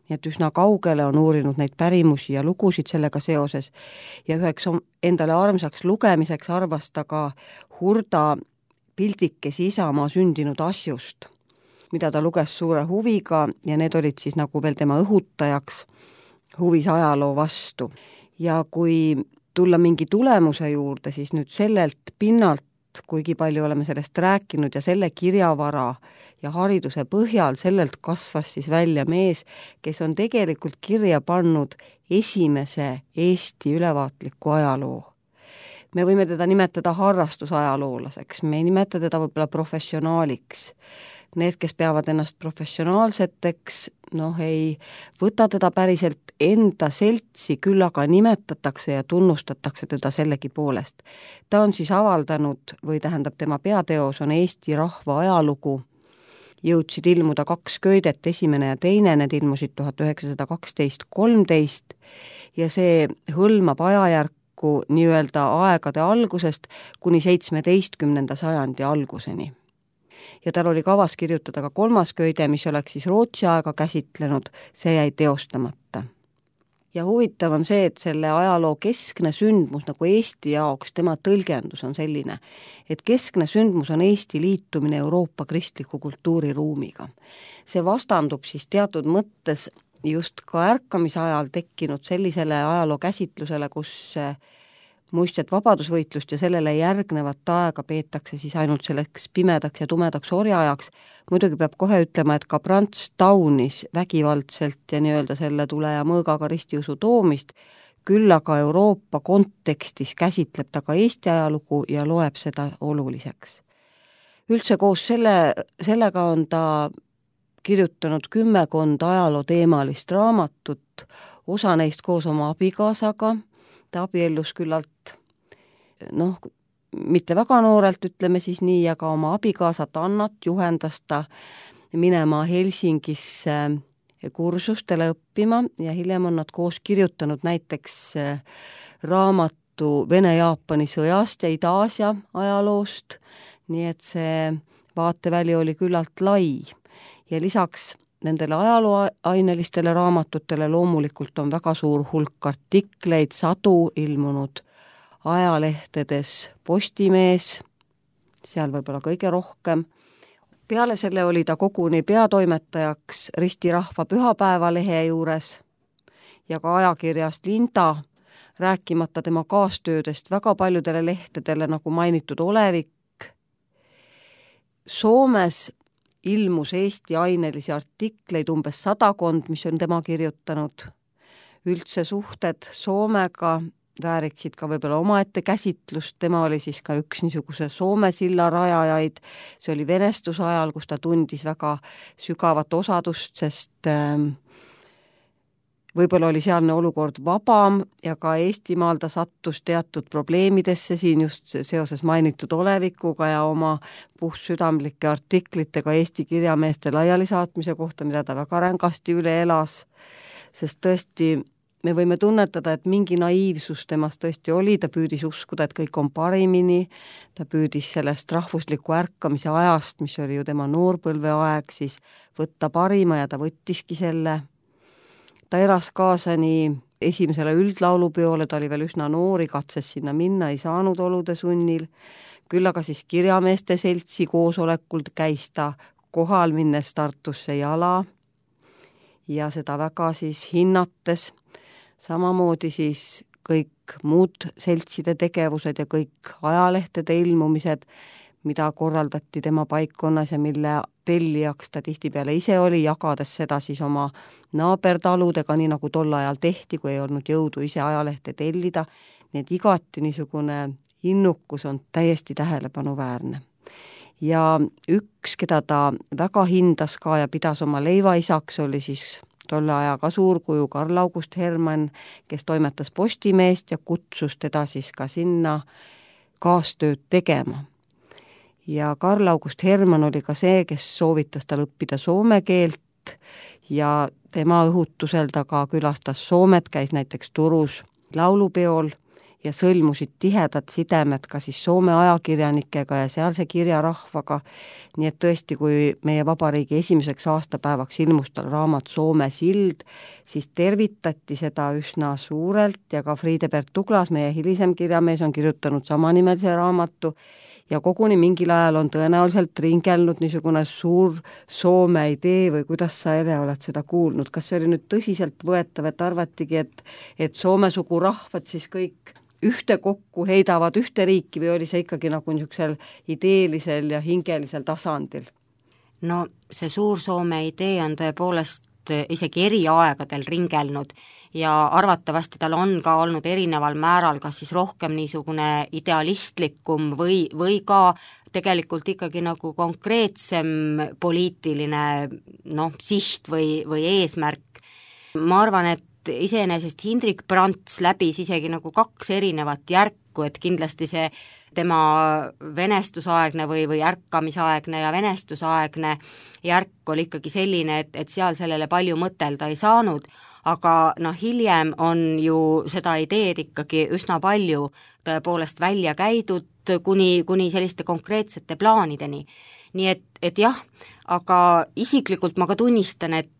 nii et üsna kaugele on uurinud neid pärimusi ja lugusid sellega seoses ja üheks endale armsaks lugemiseks arvas ta ka Hurda pildikesi Isamaa sündinud asjust, mida ta luges suure huviga ja need olid siis nagu veel tema õhutajaks huvis ajaloo vastu. Ja kui tulla mingi tulemuse juurde, siis nüüd sellelt pinnalt, kuigi palju oleme sellest rääkinud ja selle kirjavara ja hariduse põhjal, sellelt kasvas siis välja mees, kes on tegelikult kirja pannud esimese Eesti ülevaatliku ajaloo. Me võime teda nimetada harrastusajaloolaseks, me ei nimeta teda võib-olla professionaaliks. Need, kes peavad ennast professionaalseteks, noh ei võta teda päriselt enda seltsi, küll aga nimetatakse ja tunnustatakse teda sellegi poolest. Ta on siis avaldanud, või tähendab tema peateos on Eesti rahva ajalugu, jõudsid ilmuda kaks köidet, esimene ja teine, need ilmusid tuhat üheksasada kaksteist kolmteist ja see hõlmab ajajärku nii-öelda aegade algusest kuni seitsmeteistkümnenda sajandi alguseni. Ja tal oli kavas kirjutada ka kolmas köide, mis oleks siis Rootsi aega käsitlenud, see jäi teostamata. Ja huvitav on see, et selle ajaloo keskne sündmus nagu Eesti jaoks, tema tõlgendus on selline, et keskne sündmus on Eesti liitumine Euroopa kristliku kultuuriruumiga. See vastandub siis teatud mõttes just ka ärkamise ajal tekkinud sellisele ajaloo käsitlusele, kus muistset vabadusvõitlust ja sellele järgnevat aega peetakse siis ainult selleks pimedaks ja tumedaks orjaajaks. Muidugi peab kohe ütlema, et ka Prants taunis vägivaldselt ja nii-öelda selle tule ja mõõgaga ristiusu toomist, küll aga Euroopa kontekstis käsitleb ta ka Eesti ajalugu ja loeb seda oluliseks. Üldse koos selle, sellega on ta kirjutanud kümmekond ajaloo teemalist raamatut, osa neist koos oma abikaasaga, ta abiellus küllalt, noh, mitte väga noorelt, ütleme siis nii, aga oma abikaasat Annat juhendas ta minema Helsingisse kursustele õppima ja hiljem on nad koos kirjutanud näiteks raamatu Vene-Jaapani sõjast ja Ida-Aasia ajaloost, nii et see vaateväli oli küllalt lai. Ja lisaks nendele ajalooainelistele raamatutele loomulikult on väga suur hulk artikleid, sadu ilmunud ajalehtedes Postimees, seal võib-olla kõige rohkem. Peale selle oli ta koguni peatoimetajaks Risti Rahva pühapäevalehe juures ja ka ajakirjast Linda, rääkimata tema kaastöödest väga paljudele lehtedele, nagu mainitud Olevik. Soomes ilmus Eesti ainelisi artikleid umbes sadakond, mis on tema kirjutanud. Üldse suhted Soomega vääriksid ka võib-olla omaette käsitlust, tema oli siis ka üks niisuguse Soome silla rajajaid, see oli venestuse ajal, kus ta tundis väga sügavat osadust, sest äh, võib-olla oli sealne olukord vabam ja ka Eestimaal ta sattus teatud probleemidesse siin just seoses mainitud Olevikuga ja oma puhtsüdamlike artiklitega Eesti kirjameeste laialisaatmise kohta, mida ta väga rängasti üle elas, sest tõesti me võime tunnetada, et mingi naiivsus temast tõesti oli, ta püüdis uskuda, et kõik on parimini, ta püüdis sellest rahvusliku ärkamise ajast, mis oli ju tema noorpõlve aeg, siis võtta parima ja ta võttiski selle. Ta elas kaasa nii esimesele üldlaulupeole, ta oli veel üsna noori, katses sinna minna, ei saanud olude sunnil, küll aga siis kirjameeste seltsi koosolekul käis ta kohal minnes Tartusse jala ja seda väga siis hinnates. Samamoodi siis kõik muud seltside tegevused ja kõik ajalehtede ilmumised, mida korraldati tema paikkonnas ja mille tellijaks ta tihtipeale ise oli, jagades seda siis oma naabertaludega, nii nagu tol ajal tehti, kui ei olnud jõudu ise ajalehte tellida. Nii et igati niisugune innukus on täiesti tähelepanuväärne. Ja üks, keda ta väga hindas ka ja pidas oma leivaisaks, oli siis tolle ajaga suurkuju Karl August Hermann, kes toimetas Postimeest ja kutsus teda siis ka sinna kaastööd tegema. Ja Karl August Hermann oli ka see, kes soovitas tal õppida soome keelt ja tema õhutusel ta ka külastas Soomet, käis näiteks Turus laulupeol ja sõlmusid tihedad sidemed ka siis Soome ajakirjanikega ja sealse kirjarahvaga. Nii et tõesti, kui meie vabariigi esimeseks aastapäevaks ilmus tal raamat Soome sild, siis tervitati seda üsna suurelt ja ka Friedebert Douglas, meie hilisem kirjamees, on kirjutanud samanimelise raamatu ja koguni mingil ajal on tõenäoliselt ringelnud niisugune suur Soome idee või kuidas sa, Ere, oled seda kuulnud? Kas see oli nüüd tõsiselt võetav, et arvatigi, et, et Soome sugu rahvad siis kõik ühte kokku heidavad ühte riiki või oli see ikkagi nagu niisugusel ideelisel ja hingelisel tasandil? No see suur Soome idee on tõepoolest isegi eri aegadel ringelnud ja arvatavasti tal on ka olnud erineval määral kas siis rohkem niisugune idealistlikum või, või ka tegelikult ikkagi nagu konkreetsem poliitiline noh, siht või, või eesmärk. Ma arvan, et iseenesest Hindrik Prants läbis isegi nagu kaks erinevat järku, et kindlasti see tema venestusaegne või, või ärkamisaegne ja venestusaegne järk oli ikkagi selline, et, et seal sellele palju mõtelda ei saanud, aga noh, hiljem on ju seda ideed ikkagi üsna palju tõepoolest välja käidud kuni, kuni selliste konkreetsete plaanideni. Nii et, et jah, aga isiklikult ma ka tunnistan, et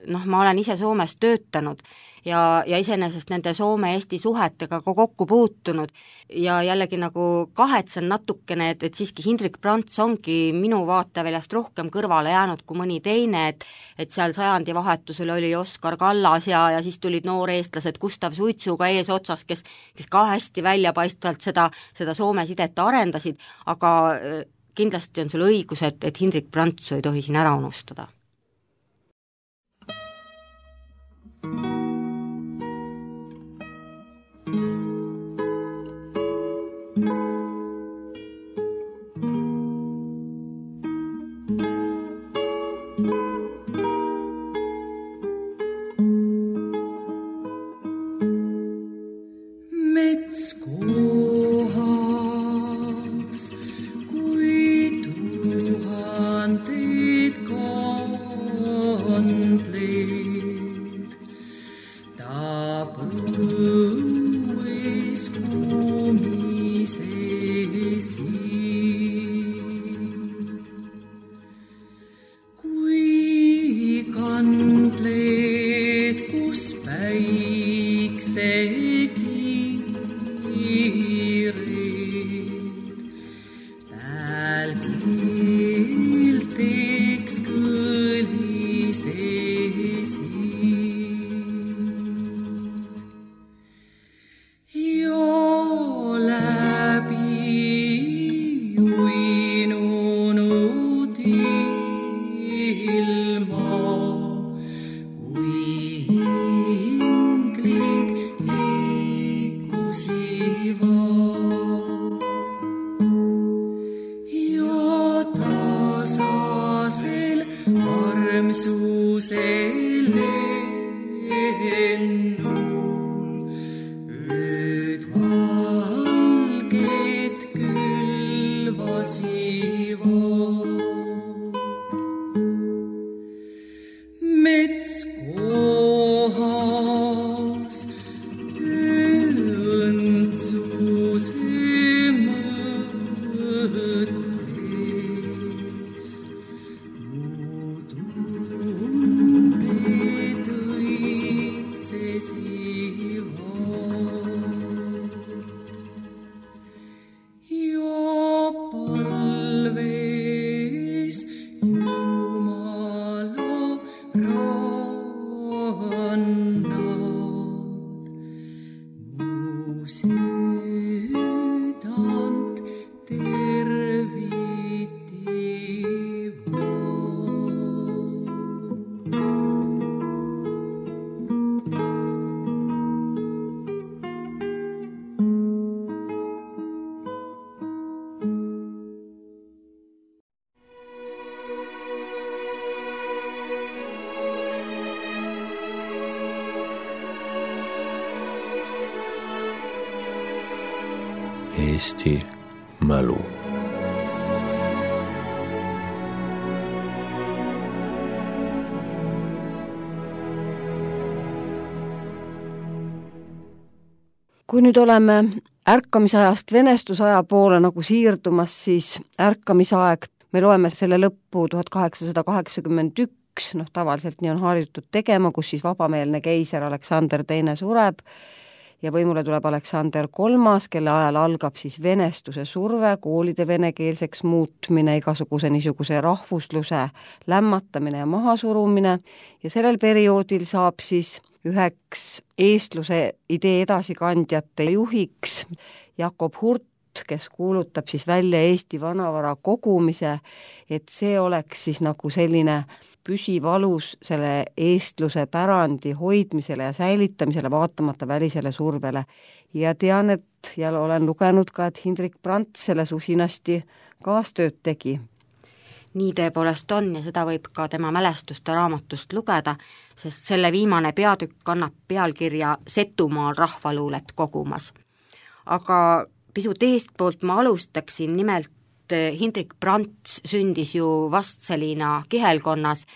noh, ma olen ise Soomes töötanud ja, ja iseenesest nende Soome-Eesti suhetega ka kokku puutunud ja jällegi nagu kahetsen natukene, et, et siiski Hindrik Prants ongi minu vaateväljast rohkem kõrvale jäänud kui mõni teine, et, et seal sajandi vahetusel oli Oskar Kallas ja, ja siis tulid nooreestlased Gustav Suitsuga eesotsas, kes, kes ka hästi väljapaistvalt seda, seda Soome sidet arendasid, aga kindlasti on sul õigus, et, et Hindrik Prants ei tohi siin ära unustada. Mets kohal Eesti mälu. Kui nüüd oleme ärkamisajast venestusaja poole nagu siirdumas, siis ärkamisaeg, me loeme selle lõppu tuhat kaheksasada kaheksakümmend üks, noh tavaliselt nii on harjutud tegema, kus siis vabameelne keiser Aleksander teine sureb ja võimule tuleb Aleksander kolmas, kelle ajal algab siis venestuse surve, koolide venekeelseks muutmine, igasuguse niisuguse rahvusluse lämmatamine ja mahasurumine ja sellel perioodil saab siis üheks eestluse idee edasikandjate juhiks Jakob Hurt, kes kuulutab siis välja Eesti vanavara kogumise, et see oleks siis nagu selline püsiv alus selle eestluse pärandi hoidmisele ja säilitamisele vaatamata välisele survele. Ja tean, et ja olen lugenud ka, et Hindrik Brandt selles usinasti kaastööd tegi. Nii tõepoolest on ja seda võib ka tema mälestuste raamatust lugeda, sest selle viimane peatükk kannab pealkirja Setumaal rahvaluulet kogumas. Aga pisut eestpoolt ma alustaksin, nimelt Hindrik Brandt sündis ju Vastseliina kihelkonnas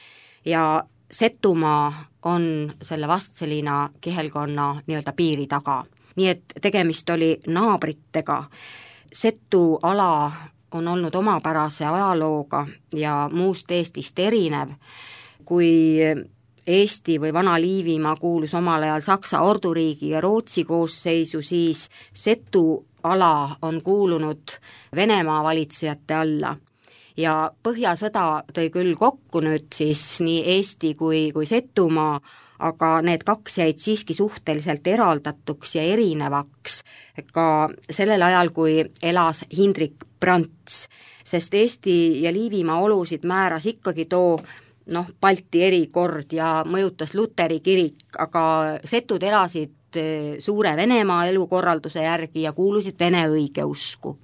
ja Setumaa on selle Vastseliina kihelkonna nii-öelda piiri taga. Nii et tegemist oli naabritega. Setu ala on olnud omapärase ajalooga ja muust Eestist erinev. Kui Eesti või Vana-Liivimaa kuulus omal ajal Saksa orduriigi ja Rootsi koosseisu, siis Setu ala on kuulunud Venemaa valitsejate alla. Ja Põhjasõda tõi küll kokku nüüd siis nii Eesti kui, kui Setumaa, aga need kaks jäid siiski suhteliselt eraldatuks ja erinevaks ka sellel ajal, kui elas Hindrik Brandt, sest Eesti ja Liivimaa olusid määras ikkagi too noh, Balti erikord ja mõjutas Luteri kirik, aga setud elasid suure Venemaa elukorralduse järgi ja kuulusid vene õigeusku.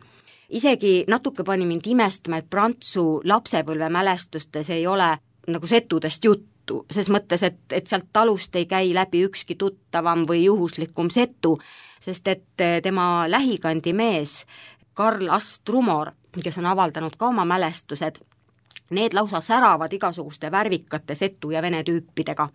Isegi natuke pani mind imestama, et Prantsu lapsepõlvemälestustes ei ole nagu setudest juttu, ses mõttes, et, et sealt talust ei käi läbi ükski tuttavam või juhuslikum setu, sest et tema lähikandi mees Karl Astrumor, kes on avaldanud ka oma mälestused, need lausa säravad igasuguste värvikate setu ja vene tüüpidega.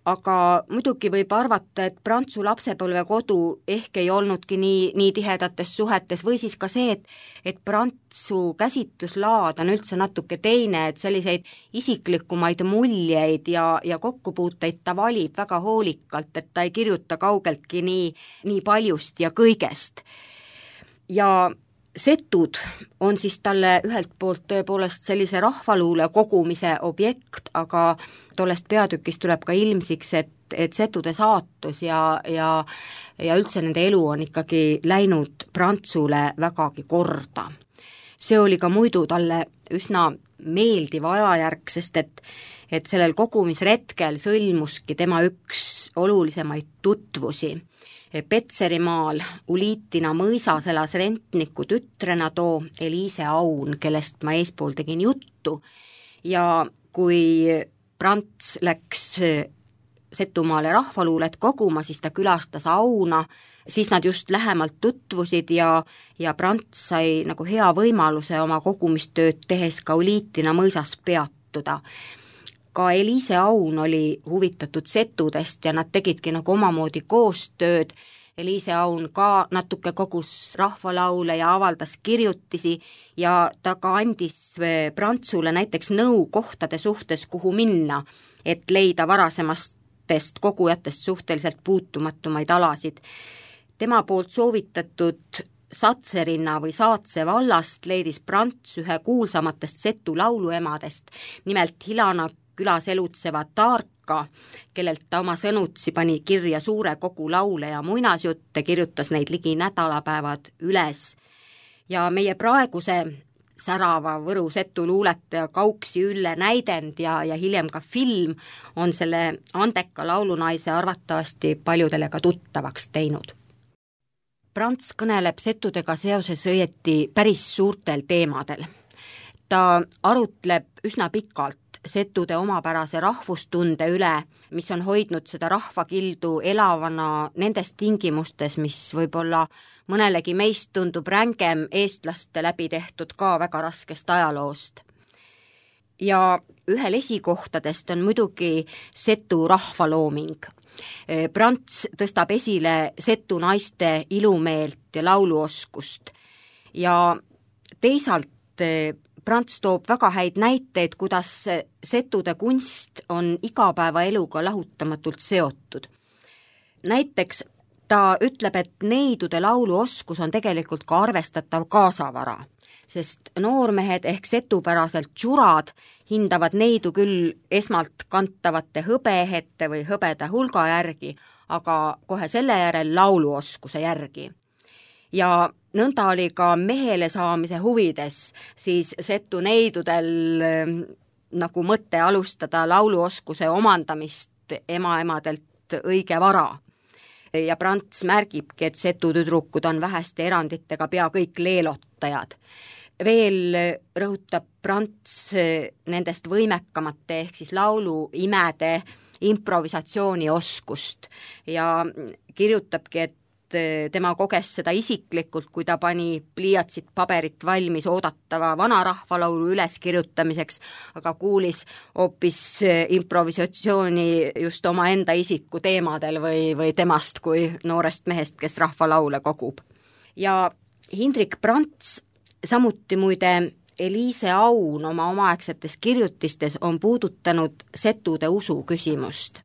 aga muidugi võib arvata, et Prantsu lapsepõlvekodu ehk ei olnudki nii, nii tihedates suhetes või siis ka see, et, et Prantsu käsitluslaad on üldse natuke teine, et selliseid isiklikumaid muljeid ja, ja kokkupuuteid ta valib väga hoolikalt, et ta ei kirjuta kaugeltki nii, nii paljust ja kõigest. Ja setud on siis talle ühelt poolt tõepoolest sellise rahvaluule kogumise objekt, aga tollest peatükist tuleb ka ilmsiks, et, et setude saatus ja, ja, ja üldse nende elu on ikkagi läinud Prantsule vägagi korda. See oli ka muidu talle üsna meeldiv ajajärk, sest et, et sellel kogumisretkel sõlmuski tema üks olulisemaid tutvusi. Petserimaal Uliitina mõisas elas rentniku tütrena too Eliise Aun, kellest ma eespool tegin juttu, ja kui Prants läks Setumaale rahvaluulet koguma, siis ta külastas Auna, siis nad just lähemalt tutvusid ja, ja Prants sai nagu hea võimaluse oma kogumistööd tehes ka Uliitina mõisas peatuda. Ka Eliise Aun oli huvitatud setudest ja nad tegidki nagu omamoodi koostööd. Eliise Aun ka natuke kogus rahvalaule ja avaldas kirjutisi ja ta ka andis Prantsule näiteks nõu kohtade suhtes, kuhu minna, et leida varasemastest kogujatest suhteliselt puutumatumaid alasid. Tema poolt soovitatud Satserinna või Saatse vallast leidis Prants ühe kuulsamatest setu lauluemadest, nimelt Hilana külas elutseva Taarka, kellelt ta oma sõnutsi pani kirja suure kogu laule ja muinasjutte, kirjutas neid ligi nädalapäevad üles. Ja meie praeguse särava Võru setu luuletaja Kauksi Ülle näidend ja, ja hiljem ka film on selle andeka laulunaise arvatavasti paljudele ka tuttavaks teinud. Prants kõneleb setudega seoses õieti päris suurtel teemadel. Ta arutleb üsna pikalt setude omapärase rahvustunde üle, mis on hoidnud seda rahvakildu elavana nendes tingimustes, mis võib-olla mõnelegi meist tundub rängem eestlaste läbi tehtud ka väga raskest ajaloost. Ja ühel esikohtadest on muidugi setu rahvalooming. Prants tõstab esile setu naiste ilumeelt ja lauluoskust ja teisalt Prants toob väga häid näiteid, kuidas setude kunst on igapäevaeluga lahutamatult seotud. Näiteks ta ütleb, et neidude lauluoskus on tegelikult ka arvestatav kaasavara, sest noormehed ehk setupäraselt tšurad hindavad neidu küll esmalt kantavate hõbeehete või hõbeda hulga järgi, aga kohe selle järel lauluoskuse järgi. Ja nõnda oli ka mehele saamise huvides siis setu neidudel nagu mõte alustada lauluoskuse omandamist emaemadelt õige vara. Ja Prants märgibki, et setu tüdrukud on väheste eranditega pea kõik leelotajad. Veel rõhutab Prants nendest võimekamate ehk siis lauluimede improvisatsioonioskust ja kirjutabki, et tema koges seda isiklikult, kui ta pani pliiatsit paberit valmis oodatava vanarahvalaulu üleskirjutamiseks, aga kuulis hoopis improvisatsiooni just oma enda isiku teemadel või, või temast kui noorest mehest, kes rahvalaule kogub. Ja Hindrik Prants, samuti muide Eliise Aun oma omaaegsetes kirjutistes on puudutanud setude usu küsimust.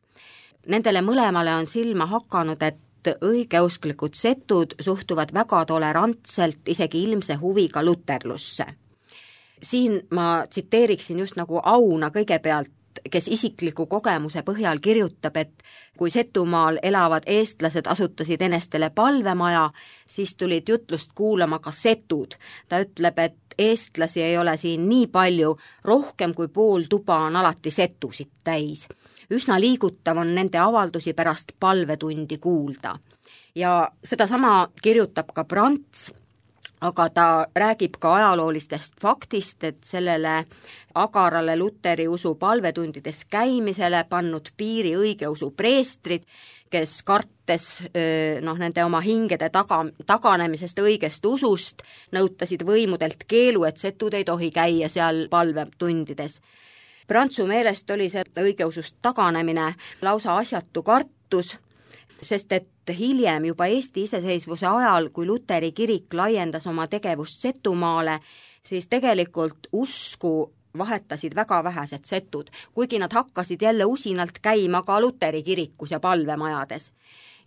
Nendele mõlemale on silma hakanud, et õigeusklikud setud suhtuvad väga tolerantselt, isegi ilmse huviga luterlusse. Siin ma tsiteeriksin just nagu Auna kõigepealt, kes isikliku kogemuse põhjal kirjutab, et kui Setumaal elavad eestlased asutasid enestele palvemaja, siis tulid jutlust kuulama ka setud. Ta ütleb, et eestlasi ei ole siin nii palju, rohkem kui pool tuba on alati setusid täis. Üsna liigutav on nende avaldusi pärast palvetundi kuulda. Ja sedasama kirjutab ka Prants, aga ta räägib ka ajaloolistest faktist, et sellele agarale luteri usu palvetundides käimisele pannud piiri õigeusu preestrid, kes kartes noh, nende oma hingede taga, taganemisest õigest usust, nõutasid võimudelt keelu, et setud ei tohi käia seal palvetundides. Prantsu meelest oli see õigeusust taganemine lausa asjatu kartus, sest et hiljem juba Eesti iseseisvuse ajal, kui Luteri kirik laiendas oma tegevust Setumaale, siis tegelikult usku vahetasid väga vähesed setud, kuigi nad hakkasid jälle usinalt käima ka Luteri kirikus ja palvemajades.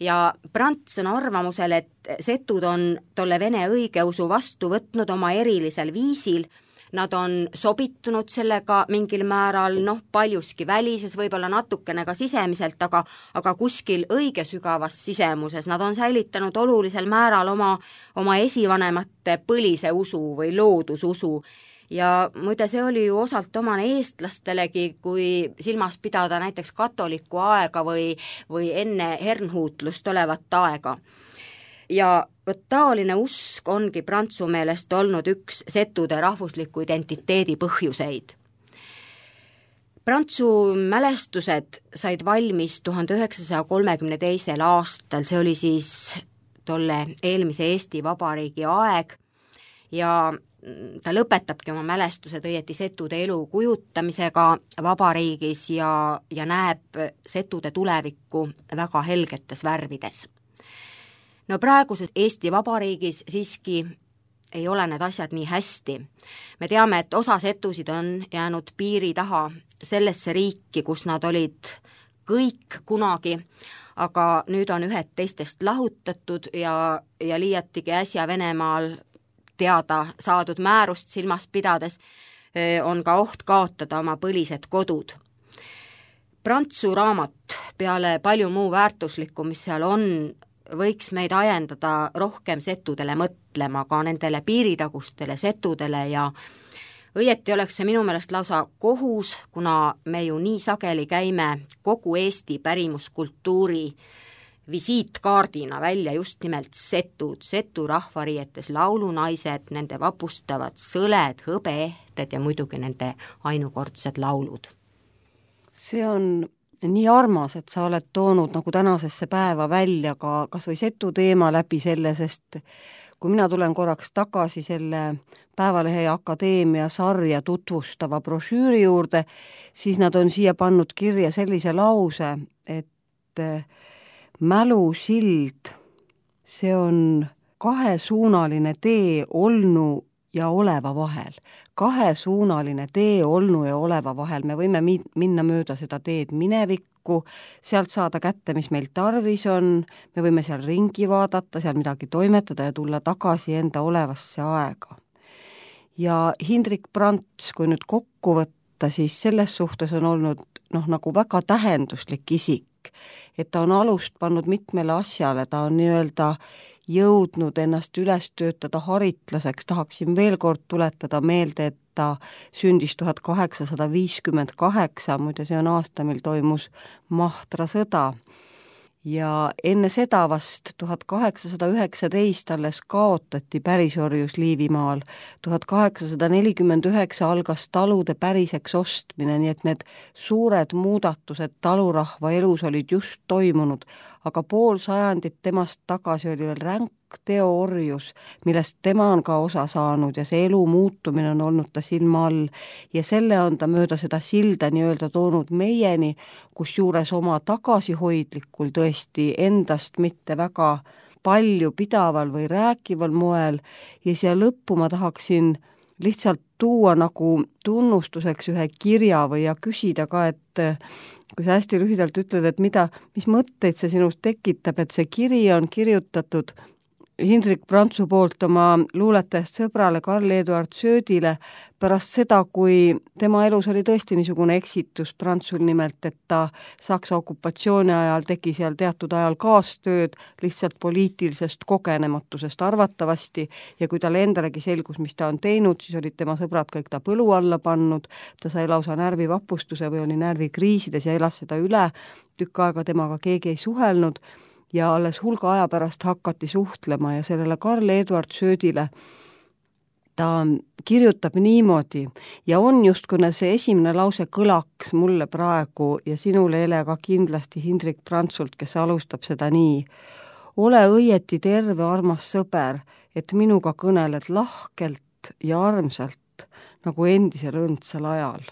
Ja Prants on arvamusel, et setud on tolle vene õigeusu vastu võtnud oma erilisel viisil, nad on sobitunud sellega mingil määral, noh, paljuski välises, võib-olla natukene ka sisemiselt, aga, aga kuskil õige sügavas sisemuses nad on säilitanud olulisel määral oma, oma esivanemate põlise usu või loodususu. Ja muide, see oli ju osalt omane eestlastelegi, kui silmas pidada näiteks katolikku aega või, või enne hernhuutlust olevat aega. Ja võt taoline usk ongi Prantsu meelest olnud üks setude rahvusliku identiteedi põhjuseid. Prantsu mälestused said valmis tuhande üheksasaja kolmekümne teisel aastal, see oli siis tolle eelmise Eesti Vabariigi aeg ja ta lõpetabki oma mälestused õieti setude elu kujutamisega vabariigis ja, ja näeb setude tulevikku väga helgetes värvides. No praeguses Eesti Vabariigis siiski ei ole need asjad nii hästi. Me teame, et osa setusid on jäänud piiri taha sellesse riiki, kus nad olid kõik kunagi, aga nüüd on ühed teistest lahutatud ja, ja liiatigi äsja Venemaal teada saadud määrust silmas pidades on ka oht kaotada oma põlised kodud. Prantsu raamat peale palju muu väärtuslikku, mis seal on, võiks meid ajendada rohkem setudele mõtlema, ka nendele piiritagustele setudele ja õieti oleks see minu meelest lausa kohus, kuna me ju nii sageli käime kogu Eesti pärimuskultuuri visiitkaardina välja just nimelt setud, setu rahvarietes laulunaised, nende vapustavad sõled, hõbeehted ja muidugi nende ainukordsed laulud. See on nii armas, et sa oled toonud nagu tänasesse päeva välja ka kas või setu teema läbi selle, sest kui mina tulen korraks tagasi selle Päevalehe ja Akadeemia sarja tutvustava brošüüri juurde, siis nad on siia pannud kirja sellise lause, et mälusild, see on kahesuunaline tee olnu ja oleva vahel. Kahesuunaline tee olnu ja oleva vahel. Me võime minna mööda seda teed minevikku, sealt saada kätte, mis meil tarvis on, me võime seal ringi vaadata, seal midagi toimetada ja tulla tagasi enda olevasse aega. Ja Hindrik Prants, kui nüüd kokku võtta, siis selles suhtes on olnud noh, nagu väga tähenduslik isik, et ta on alust pannud mitmele asjale, ta on nii-öelda jõudnud ennast üles töötada haritlaseks, tahaksin veel kord tuletada meelde, et ta sündis tuhat kaheksasada viiskümmend kaheksa, muide see on aasta, mil toimus Mahtra sõda. Ja enne seda vast tuhat kaheksasada üheksateist alles kaotati pärisorjus Liivimaal. tuhat kaheksasada nelikümmend üheksa algas talude päriseks ostmine, nii et need suured muudatused talurahva elus olid just toimunud, aga pool sajandit temast tagasi oli veel ränk teoorjus, millest tema on ka osa saanud ja see elu muutumine on olnud ta silma all ja selle on ta mööda seda silda nii-öelda toonud meieni, kus juures oma tagasihoidlikul tõesti endast mitte väga palju pidaval või rääkival moel ja siia lõppu ma tahaksin lihtsalt tuua nagu tunnustuseks ühe kirja või ja küsida ka, et kui sa hästi lühidalt ütled, et mida, mis mõtteid see sinust tekitab, et see kiri on kirjutatud Hindrik Prantsu poolt oma luuletajast sõbrale Karl-Eduard Söödile pärast seda, kui tema elus oli tõesti niisugune eksitus Prantsul nimelt, et ta Saksa okupatsiooni ajal tegi seal teatud ajal kaastööd lihtsalt poliitilisest kogenematusest arvatavasti ja kui talle endalegi selgus, mis ta on teinud, siis olid tema sõbrad kõik ta põlu alla pannud, ta sai lausa närvivapustuse või oli närvikriisides ja elas seda üle, tükk aega temaga keegi ei suhelnud ja alles hulga aja pärast hakati suhtlema ja sellele Karl-Eduard Söödile ta kirjutab niimoodi ja on just, kuna see esimene lause kõlaks mulle praegu ja sinule, Ele, ka kindlasti Hindrik Prantsult, kes alustab seda nii. Ole õieti terve, armas sõber, et minuga kõneled lahkelt ja armsalt nagu endisel õndsal ajal.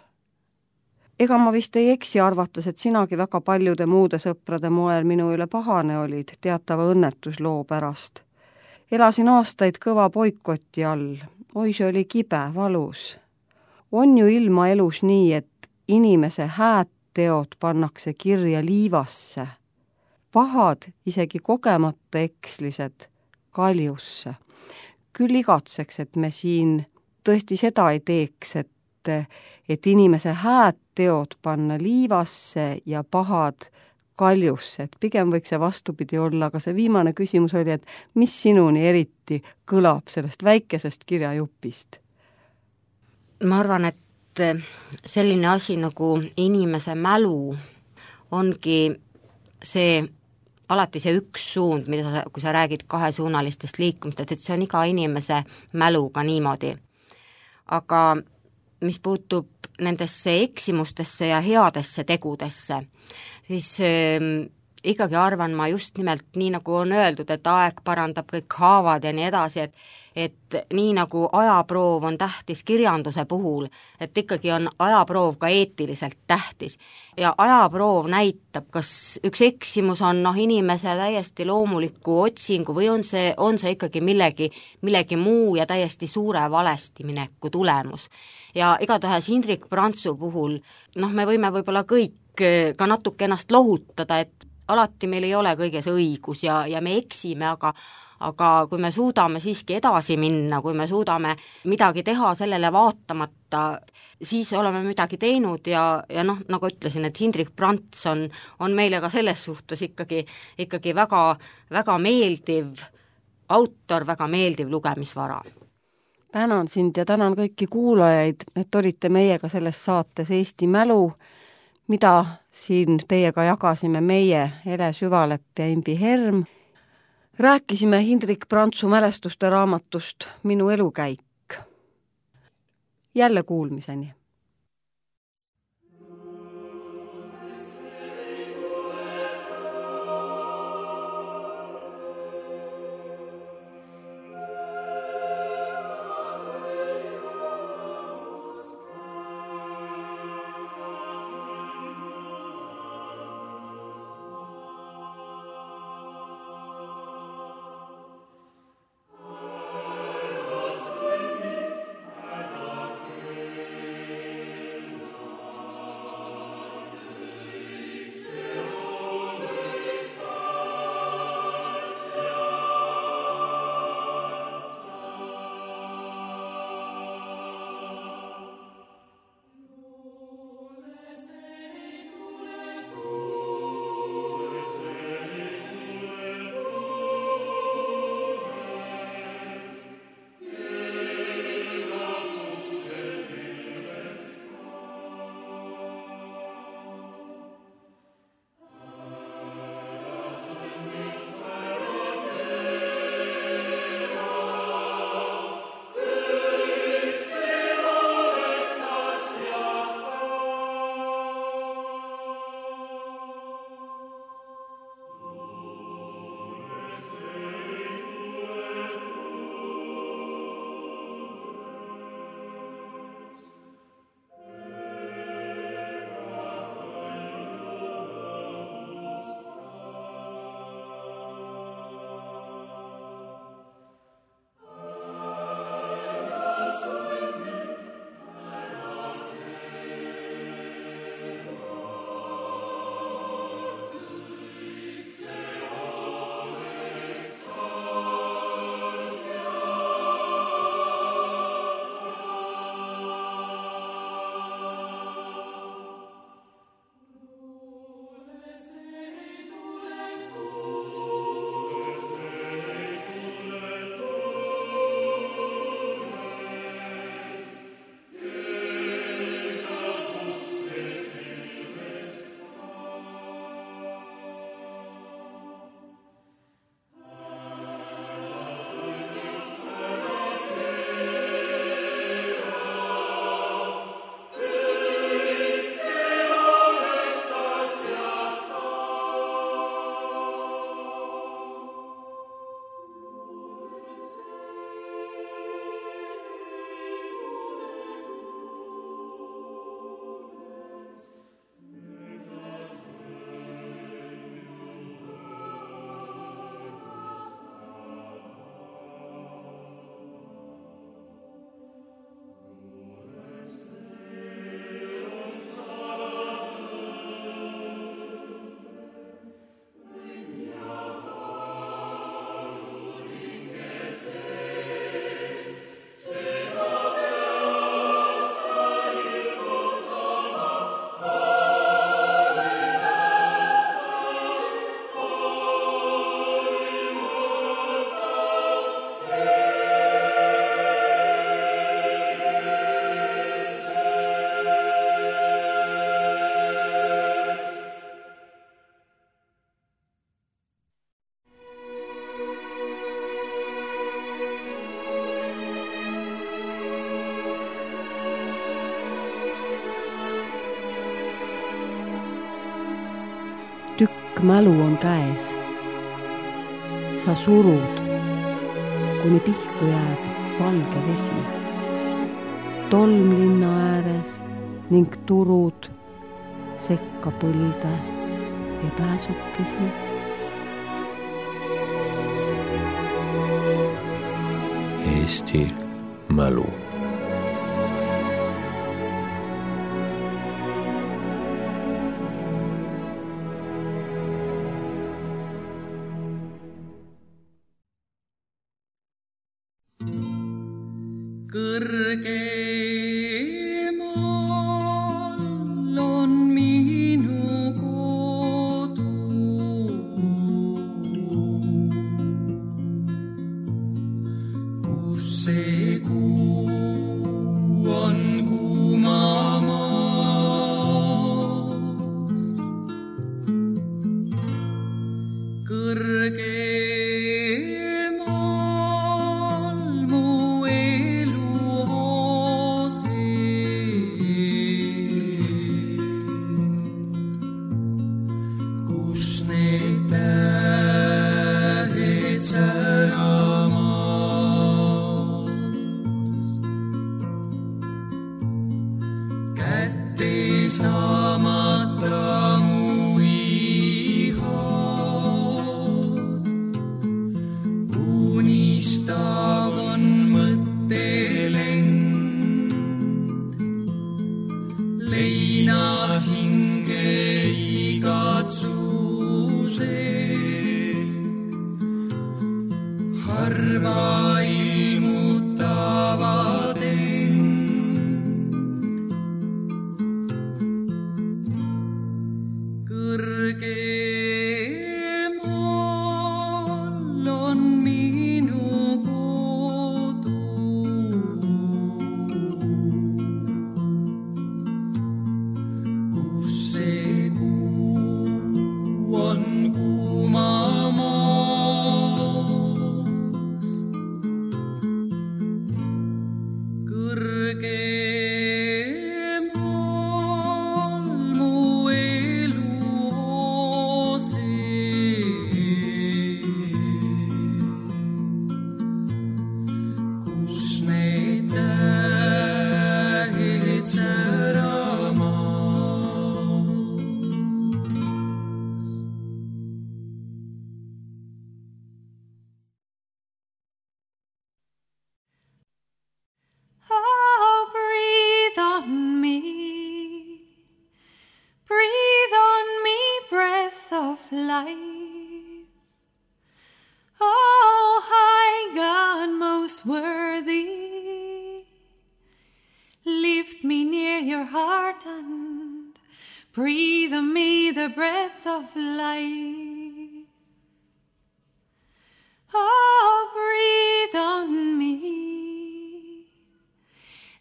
ega ma vist ei eksi arvates, et sinagi väga paljude muude sõprade moel minu üle pahane olid teatava õnnetusloo pärast. Elasin aastaid kõva boikoti all, oi see oli kibe, valus. On ju ilma elus nii, et inimese hääd teod pannakse kirja liivasse, pahad, isegi kogemata ekslised, kaljusse. Küll igatseks, et me siin tõesti seda ei teeks, et, et inimese hääd teod panna liivasse ja pahad kaljusse, et pigem võiks see vastupidi olla, aga see viimane küsimus oli, et mis sinuni eriti kõlab sellest väikesest kirjajupist? Ma arvan, et selline asi nagu inimese mälu ongi see, alati see üks suund, mida sa, kui sa räägid kahesuunalistest liikumistest, et see on iga inimese mäluga niimoodi. Aga mis puutub nendesse eksimustesse ja headesse tegudesse, siis äh, ikkagi arvan ma just nimelt nii, nagu on öeldud, et aeg parandab kõik haavad ja nii edasi, et et nii nagu ajaproov on tähtis kirjanduse puhul, et ikkagi on ajaproov ka eetiliselt tähtis. Ja ajaproov näitab, kas üks eksimus on noh, inimese täiesti loomuliku otsingu või on see, on see ikkagi millegi, millegi muu ja täiesti suure valestimineku tulemus. Ja igatahes Hindrek Prantsu puhul, noh, me võime võib-olla kõik ka natuke ennast lohutada, et alati meil ei ole kõiges õigus ja, ja me eksime, aga aga kui me suudame siiski edasi minna, kui me suudame midagi teha sellele vaatamata, siis oleme midagi teinud ja, ja noh, nagu ütlesin, et Hindrek Prants on, on meile ka selles suhtes ikkagi, ikkagi väga, väga meeldiv autor, väga meeldiv lugemisvara. Tänan sind ja tänan kõiki kuulajaid, et olite meiega selles saates Eesti mälu, mida siin teiega jagasime meie, Ele Süvalepp ja Imbi Herm. Rääkisime Hindrek Prantsu mälestuste raamatust Minu elukäik. Jälle kuulmiseni! mälu on käes. Sa surud, kuni pihku jääb valge vesi. Tolm linna ääres ning turud sekka põlde ja pääsukesi. Eesti mälu. Kõrgemal on minu kodu, kus see kuu on kuumamas. Kõrge saamata mu ihad. Unistav on mõttelend, leina hinge igatsuse. Harva ilmutavad end. Kõrgemal on minu kodu, kus see kuu on kuumamas. Kõrgemal mu elu kus need tähed säramas. Oh, breathe on me, breathe on me, breath of life. Oh, high God, most worthy, lift me near your heart and breathe on me the breath of life. Oh, breathe on me,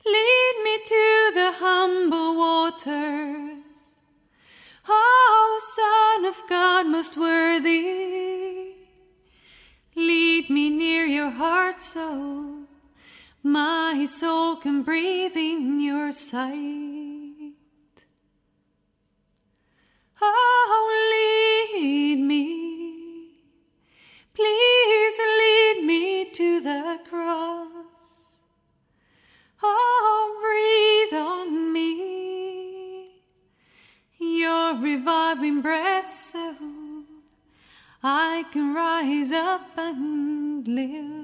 lead me to the humble waters. Oh, Son of God, most worthy, lead me near your heart so my soul can breathe in your sight. Oh, lead me, please lead me to the cross. Oh, breathe on me your reviving breath so I can rise up and live.